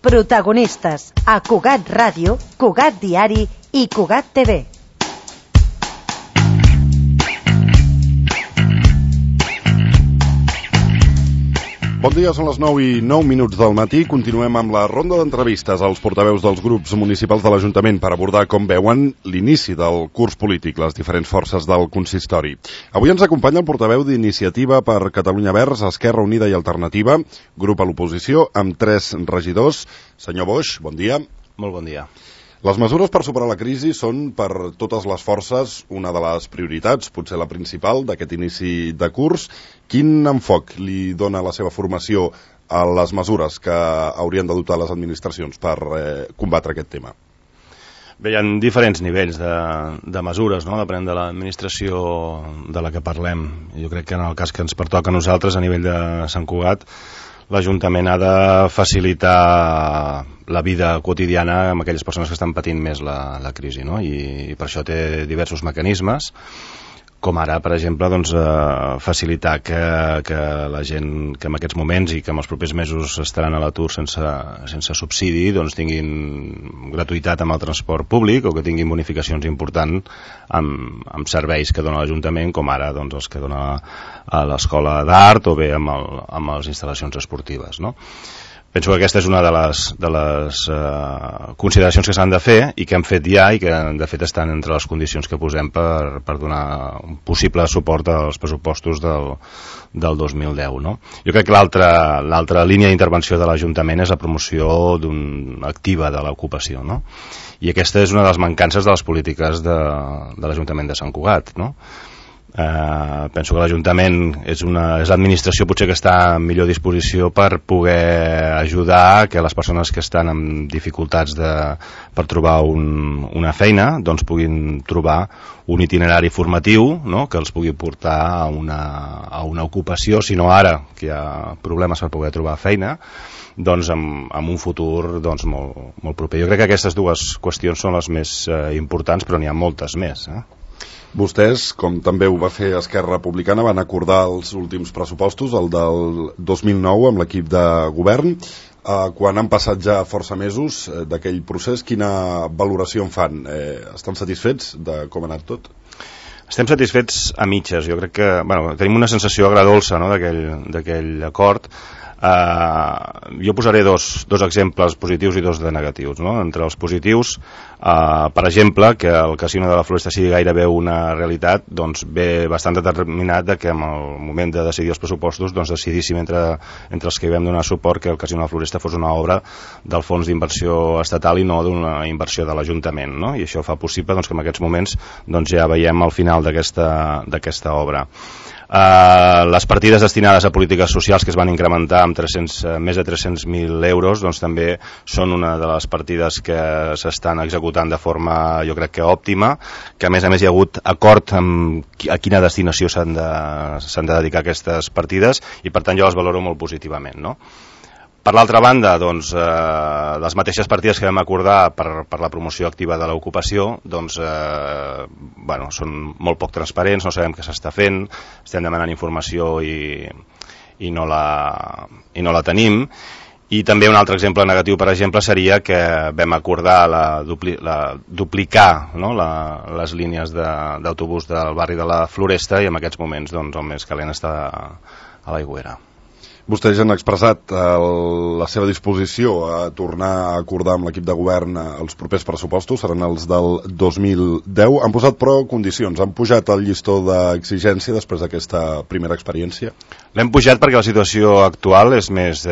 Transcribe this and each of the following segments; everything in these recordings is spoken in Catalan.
Protagonistes a Cugat Ràdio, Cugat Diari i Cugat TV. Bon dia, són les 9:09 del matí. Continuem amb la ronda d'entrevistes als portaveus dels grups municipals de l'Ajuntament per abordar com veuen l'inici del curs polític, les diferents forces del consistori. Avui ens acompanya el portaveu d'Iniciativa per Catalunya Verds, Esquerra Unida i Alternativa, grup a l'oposició, amb 3 regidors. Senyor Boix, bon dia. Molt bon dia. Les mesures per superar la crisi són, per totes les forces, una de les prioritats, potser la principal, d'aquest inici de curs. Quin enfoc li dona la seva formació a les mesures que haurien d'adoptar les administracions per combatre aquest tema? Bé, hi ha diferents nivells de mesures, no?, depenent de l'administració de la que parlem. Jo crec que en el cas que ens pertoca a nosaltres, a nivell de Sant Cugat, l'Ajuntament ha de facilitar la vida quotidiana amb aquelles persones que estan patint més la crisi, no? I per això té diversos mecanismes, com ara, per exemple, doncs, facilitar que la gent que en aquests moments i que en els propers mesos estaran a l'atur sense subsidi, doncs tinguin gratuïtat amb el transport públic o que tinguin bonificacions importants amb serveis que dona l'Ajuntament, com ara doncs, els que dona a l'Escola d'Art o bé amb les instal·lacions esportives, no? Penso que aquesta és una de les consideracions que s'han de fer i que hem fet ja i que de fet estan entre les condicions que posem per donar un possible suport als pressupostos del 2010. No? Jo crec que l'altra línia d'intervenció de l'Ajuntament és la promoció activa de l'ocupació. No? I aquesta és una de les mancances de les polítiques de l'Ajuntament de Sant Cugat. No? Penso que l'Ajuntament és l'administració potser que està en millor disposició per poder ajudar que les persones que estan amb dificultats per trobar una feina doncs puguin trobar un itinerari formatiu, no?, que els pugui portar a una ocupació, si no ara, que hi ha problemes per poder trobar feina, doncs en un futur doncs, molt proper. Jo crec que aquestes dues qüestions són les més importants, però n'hi ha moltes més. Vostès, com també ho va fer Esquerra Republicana, van acordar els últims pressupostos, el del 2009, amb l'equip de govern. Quan han passat ja força mesos d'aquell procés, quina valoració en fan? Estan satisfets de com ha anat tot? Estem satisfets a mitges. Jo crec que tenim una sensació agradolça, no?, d'aquell acord. Jo posaré dos exemples positius i dos de negatius. No? Entre els positius, per exemple, que el casino de la Floresta sigui gairebé una realitat, doncs ve bastant determinat que en el moment de decidir els pressupostos doncs decidíssim entre els que hi vam donar suport que el casino de la Floresta fos una obra del fons d'inversió estatal i no d'una inversió de l'Ajuntament. No? I això fa possible que en aquests moments ja veiem el final d'aquesta obra. Les partides destinades a polítiques socials que es van incrementar amb més de 300.000 euros doncs també són una de les partides que s'estan executant de forma, jo crec que òptima, que a més hi ha hagut acord a quina destinació s'han de dedicar aquestes partides i per tant jo les valoro molt positivament, no? Per l'altra banda, doncs, les mateixes partides que vam acordar per la promoció activa de l'ocupació doncs, són molt poc transparents, no sabem què s'està fent, estem demanant informació i no la tenim. I també un altre exemple negatiu, per exemple, seria que vam acordar duplicar, no?, les línies d'autobús del barri de la Floresta i en aquests moments doncs, el més calent està a l'Aigüera. Vostès han expressat la seva disposició a tornar a acordar amb l'equip de govern els propers pressupostos, seran els del 2010. Han posat, però, condicions. Han pujat el llistó d'exigència després d'aquesta primera experiència? L'hem pujat perquè la situació actual és més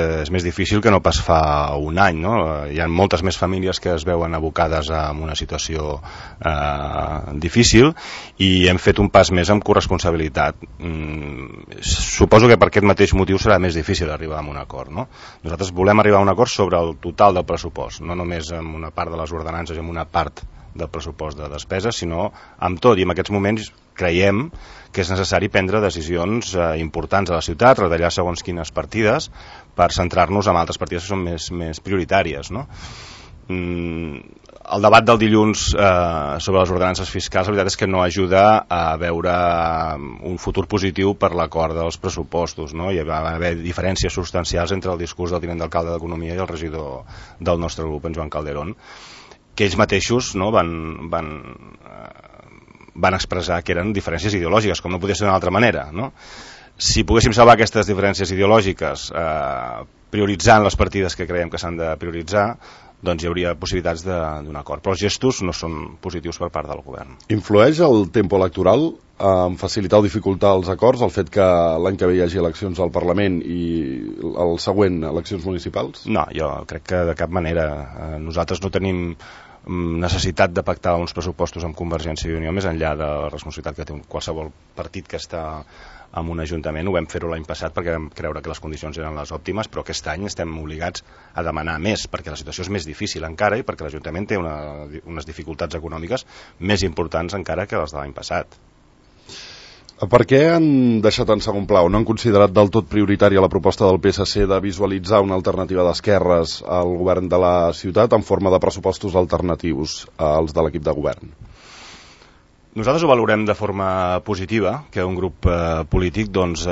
difícil que no pas fa un any. No? Hi ha moltes més famílies que es veuen abocades en una situació difícil i hem fet un pas més amb corresponsabilitat. Suposo que per aquest mateix motiu serà més difícil arribar a un acord. No? Nosaltres volem arribar a un acord sobre el total del pressupost, no només amb una part de les ordenances i amb una part del pressupost de despesa, sinó amb tot. I en aquests moments creiem que és necessari prendre decisions importants a la ciutat, retallar segons quines partides per centrar-nos en altres partides que són més prioritàries. No? el debat del dilluns sobre les ordenances fiscals, la veritat és que no ajuda a veure un futur positiu per l'acord dels pressupostos, no? Hi va haver diferències substancials entre el discurs del tinent d'alcalde d'Economia i el regidor del nostre grup, en Joan Calderón, que ells mateixos, no, van expressar que eren diferències ideològiques, com no podia ser d'una altra manera, no? Si poguéssim salvar aquestes diferències ideològiques prioritzant les partides que creiem que s'han de prioritzar, doncs hi hauria possibilitats d'un acord. Però els gestos no són positius per part del govern. Influeix el tempo electoral en facilitar o dificultar els acords, el fet que l'any que ve hi hagi eleccions al Parlament i el següent eleccions municipals? No, jo crec que de cap manera. Nosaltres no tenim necessitat de pactar uns pressupostos amb Convergència i Unió més enllà de la responsabilitat que té qualsevol partit que està en un ajuntament. Ho vam fer-ho l'any passat perquè vam creure que les condicions eren les òptimes, però aquest any estem obligats a demanar més perquè la situació és més difícil encara i perquè l'Ajuntament té unes dificultats econòmiques més importants encara que les de l'any passat. Per què han deixat en segon pla o no han considerat del tot prioritària la proposta del PSC de visualitzar una alternativa d'esquerres al govern de la ciutat en forma de pressupostos alternatius als de l'equip de govern? Nosaltres ho valorem de forma positiva, que un grup polític doncs,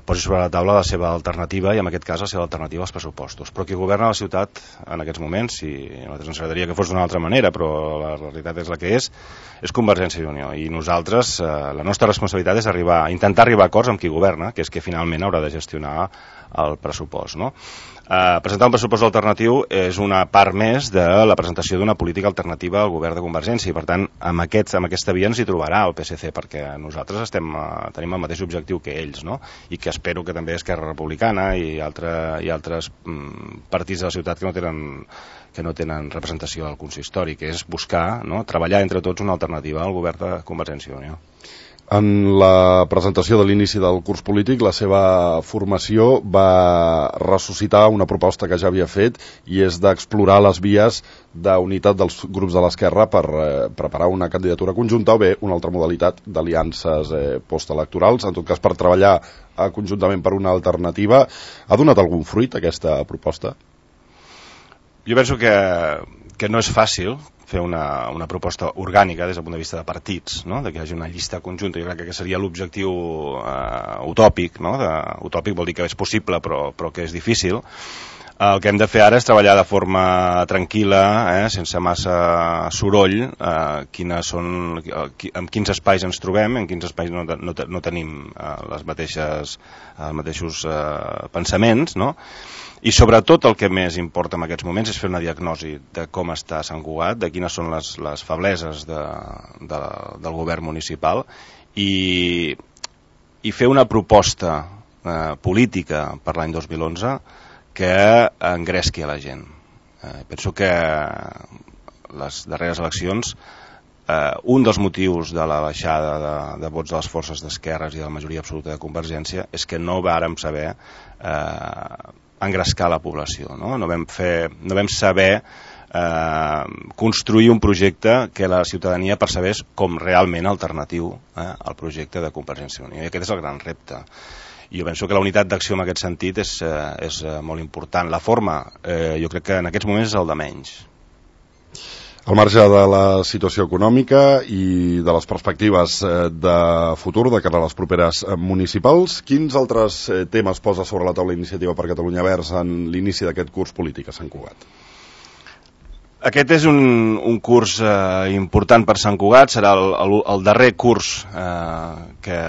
posi sobre la taula la seva alternativa, i en aquest cas la seva alternativa als pressupostos. Però qui governa la ciutat en aquests moments, i a nosaltres ens agradaria que fos d'una altra manera, però la realitat és la que és Convergència i Unió. I nosaltres, la nostra responsabilitat és intentar arribar a acords amb qui governa, que és que finalment haurà de gestionar el pressupost, no? Presentar un pressupost alternatiu és una part més de la presentació d'una política alternativa al govern de Convergència i per tant amb aquesta via ens hi trobarà el PSC perquè nosaltres tenim el mateix objectiu que ells, no? I que espero que també Esquerra Republicana i altres partits de la ciutat que no tenen representació al consistori, que és buscar, no, treballar entre tots una alternativa al govern de Convergència i Unió. En la presentació de l'inici del curs polític, la seva formació va ressuscitar una proposta que ja havia fet i és d'explorar les vies d'unitat dels grups de l'esquerra per preparar una candidatura conjunta o bé una altra modalitat d'aliances postelectorals, en tot cas per treballar conjuntament per una alternativa. Ha donat algun fruit aquesta proposta? Jo penso que no és fàcil fer una proposta orgànica des del punt de vista de partits, no? De que hi hagi una llista conjunta. Jo crec que seria l'objectiu utòpic, no? Utòpic vol dir que és possible però que és difícil. El que hem de fer ara és treballar de forma tranquil·la, sense massa soroll, en quins espais ens trobem, en quins espais no tenim els mateixos pensaments, no? I sobretot el que més importa en aquests moments és fer una diagnosi de com està Sant Cugat, de quines són les febleses del govern municipal i fer una proposta política per l'any 2011 que engresqui a la gent. Penso que les darreres eleccions un dels motius de la baixada de vots de les forces d'esquerres i de la majoria absoluta de Convergència és que no vàrem saber engrescar la població, no? No vam saber construir un projecte que la ciutadania percebés com realment alternatiu al projecte de Convergència i Unió. I aquest és el gran repte. I jo penso que la unitat d'acció en aquest sentit és molt important. La forma, jo crec que en aquests moments és el de menys. Al marge de la situació econòmica i de les perspectives de futur de cara a les properes municipals, quins altres temes posa sobre la taula Iniciativa per Catalunya Verds en l'inici d'aquest curs polític a Sant Cugat? Aquest és un curs important per Sant Cugat, serà el darrer curs que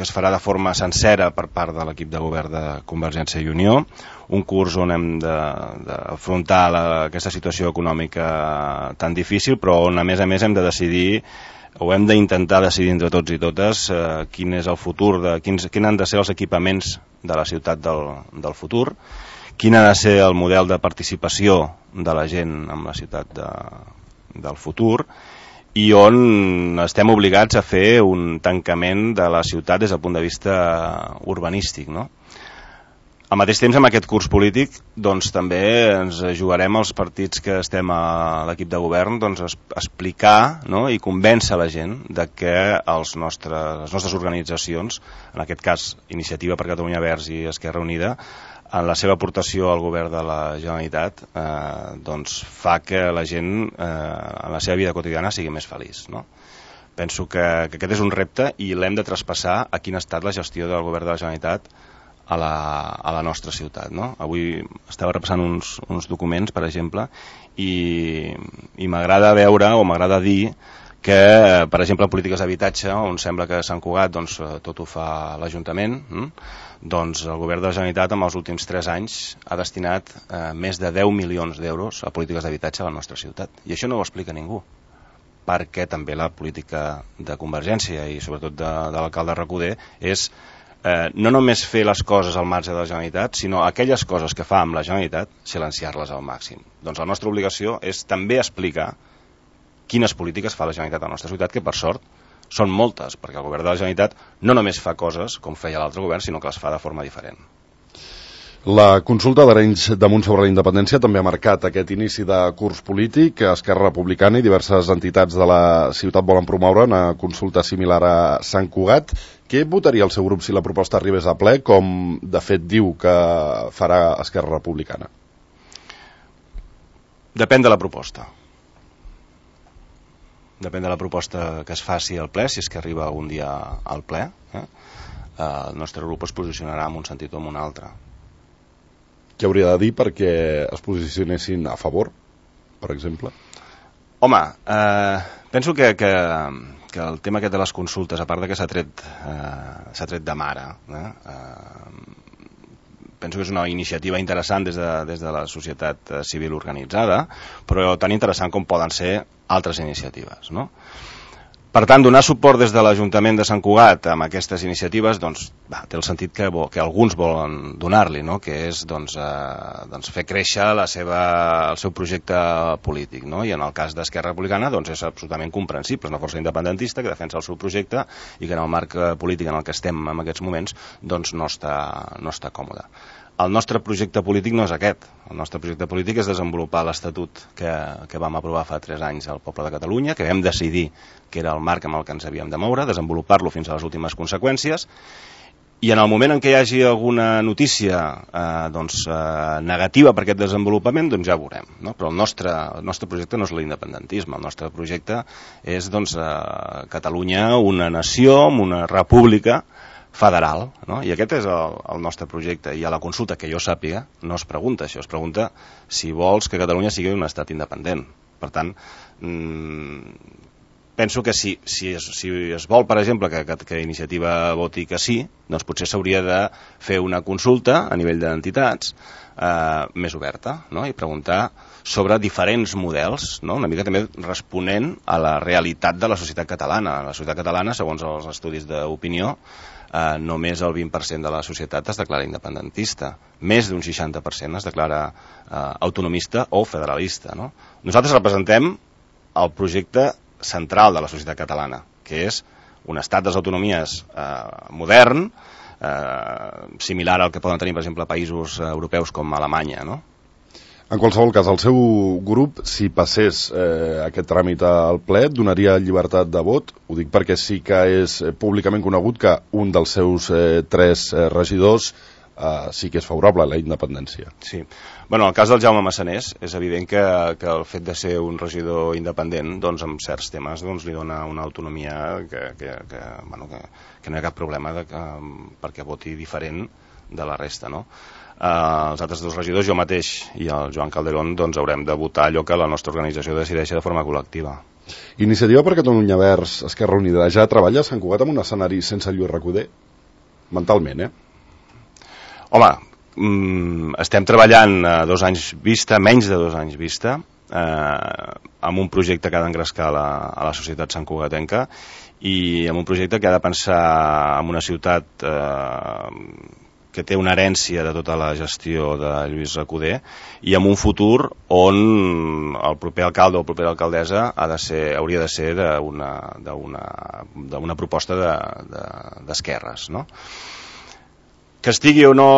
es farà de forma sencera per part de l'equip de govern de Convergència i Unió, un curs on hem d'afrontar aquesta situació econòmica tan difícil, però on a més hem de decidir o hem d'intentar decidir entre tots i totes quin és el futur, quins han de ser els equipaments de la ciutat del futur, quin ha de ser el model de participació de la gent en la ciutat del futur, i on estem obligats a fer un tancament de la ciutat des del punt de vista urbanístic, no? Al mateix temps, amb aquest curs polític, doncs també ens jugarem els partits que estem a l'equip de govern, doncs explicar, no? I convèncer la gent de que les nostres organitzacions, en aquest cas Iniciativa per Catalunya Verds i Esquerra Unida, en la seva aportació al govern de la Generalitat doncs fa que la gent en la seva vida quotidiana sigui més feliç, no? Penso que aquest és un repte i l'hem de traspassar a quina ha estat la gestió del govern de la Generalitat a la nostra ciutat, no? Avui estava repassant uns documents, per exemple, i m'agrada veure o m'agrada dir que, per exemple, polítiques d'habitatge, on sembla que a Sant Cugat doncs, tot ho fa l'Ajuntament, doncs el govern de la Generalitat en els últims 3 anys ha destinat més de 10 milions d'euros a polítiques d'habitatge a la nostra ciutat. I això no ho explica ningú, perquè també la política de Convergència i sobretot de l'alcalde Recoder és no només fer les coses al marge de la Generalitat, sinó aquelles coses que fa amb la Generalitat, silenciar-les al màxim. Doncs la nostra obligació és també explicar quines polítiques fa la Generalitat a la nostra ciutat, que per sort són moltes, perquè el govern de la Generalitat no només fa coses com feia l'altre govern, sinó que les fa de forma diferent. La consulta d'Arenys de Munt sobre la independència també ha marcat aquest inici de curs polític. Esquerra Republicana i diverses entitats de la ciutat volen promoure una consulta similar a Sant Cugat. Què votaria el seu grup si la proposta arribés a ple, com de fet diu que farà Esquerra Republicana? Depèn de la proposta. Depèn de la proposta que es faci al ple, si és que arriba un dia al ple. El nostre grup es posicionarà en un sentit o en un altre. Què hauria de dir perquè es posicionessin a favor, per exemple? Home, penso que el tema aquest de les consultes, a part de que s'ha tret de mare, penso que és una iniciativa interessant des de la societat civil organitzada, però tan interessant com poden ser altres iniciatives, no? Per tant, donar suport des de l'Ajuntament de Sant Cugat amb aquestes iniciatives doncs, té el sentit que alguns volen donar-li, no? Que és fer créixer el seu projecte polític, no? I en el cas d'Esquerra Republicana doncs, és absolutament comprensible, és una força independentista que defensa el seu projecte i que en el marc polític en el que estem en aquests moments doncs, no està còmode. El nostre projecte polític no és aquest. El nostre projecte polític és desenvolupar l'Estatut que vam aprovar fa 3 anys al poble de Catalunya, que vam decidir que era el marc amb el que ens havíem de moure, desenvolupar-lo fins a les últimes conseqüències, i en el moment en què hi hagi alguna notícia negativa per aquest desenvolupament, doncs ja ho veurem, no? Però el nostre projecte no és l'independentisme, el nostre projecte és Catalunya, una nació, una república federal, no? I aquest és el nostre projecte, i a la consulta, que jo sàpiga, no es pregunta això, es pregunta si vols que Catalunya sigui un estat independent. Per tant, penso que si es vol, per exemple, que Iniciativa voti que sí, doncs potser s'hauria de fer una consulta a nivell d'entitats més oberta, no? I preguntar sobre diferents models, no? Una mica també responent a la realitat de la societat catalana. La societat catalana, segons els estudis d'opinió, només el 20% de la societat es declara independentista, més d'un 60% es declara autonomista o federalista, no? Nosaltres representem el projecte central de la societat catalana, que és un estat de les autonomies modern, similar al que poden tenir, per exemple, països europeus com Alemanya, no? En qualsevol cas, el seu grup, si passés aquest tràmit al ple, donaria llibertat de vot? Ho dic perquè sí que és públicament conegut que un dels seus 3 regidors sí que és favorable a la independència. Sí. Bueno, en el cas del Jaume Massanés, és evident que el fet de ser un regidor independent, doncs, en certs temes li dona una autonomia que no hi ha cap problema perquè voti diferent de la resta, no? Els altres 2 regidors, jo mateix i el Joan Calderón, doncs haurem de votar allò que la nostra organització decideixi de forma col·lectiva. Iniciativa per Catalunya Verds, Esquerra Unida, ja treballa a Sant Cugat en un escenari sense Lluís Recoder? Mentalment, Home, estem treballant a 2 anys vista, menys de 2 anys vista, amb un projecte que ha d'engrescar a la societat santcugatenca i amb un projecte que ha de pensar en una ciutat que té una herència de tota la gestió de Lluís Recoder i en un futur on el proper alcalde o propera alcaldessa hauria de ser d'una proposta d'esquerres, no? Que estigui o no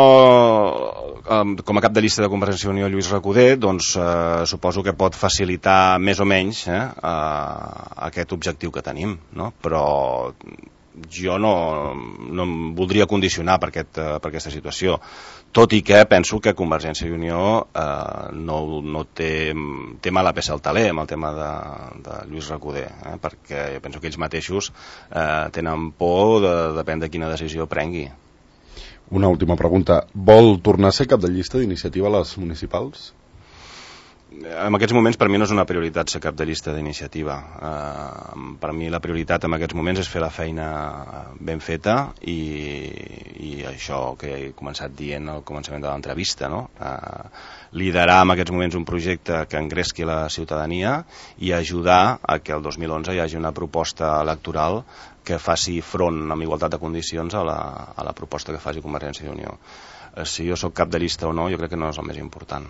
com a cap de llista de Convergència i Unió Lluís Recoder, doncs suposo que pot facilitar més o menys aquest objectiu que tenim, no? Però jo no em voldria condicionar per aquesta situació, tot i que penso que Convergència i Unió no té mala peça al taler amb el tema de Lluís Recoder, perquè jo penso que ells mateixos tenen por de depèn de quina decisió prengui. Una última pregunta. Vol tornar a ser cap de llista d'iniciativa a les municipals? En aquests moments per mi no és una prioritat ser cap de llista d'iniciativa. Per mi la prioritat en aquests moments és fer la feina ben feta i això que he començat dient al començament de l'entrevista, no? Liderar en aquests moments un projecte que engresqui la ciutadania i ajudar a que el 2011 hi hagi una proposta electoral que faci front amb igualtat de condicions a la proposta que faci Convergència i Unió. Si jo sóc cap de llista o no, jo crec que no és el més important.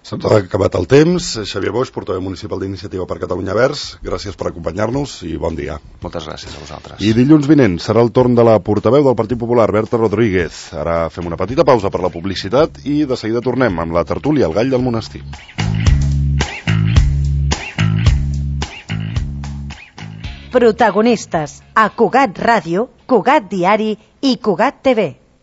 Se'ns ha acabat el temps. Xavier Boix, portaveu municipal d'Iniciativa per Catalunya Verds, gràcies per acompanyar-nos i bon dia. Moltes gràcies a vosaltres. I dilluns vinent serà el torn de la portaveu del Partit Popular, Berta Rodríguez. Ara fem una petita pausa per la publicitat i de seguida tornem amb la tertúlia El Gall del Monestir. Protagonistes a Cugat Ràdio, Cugat Diari i Cugat TV.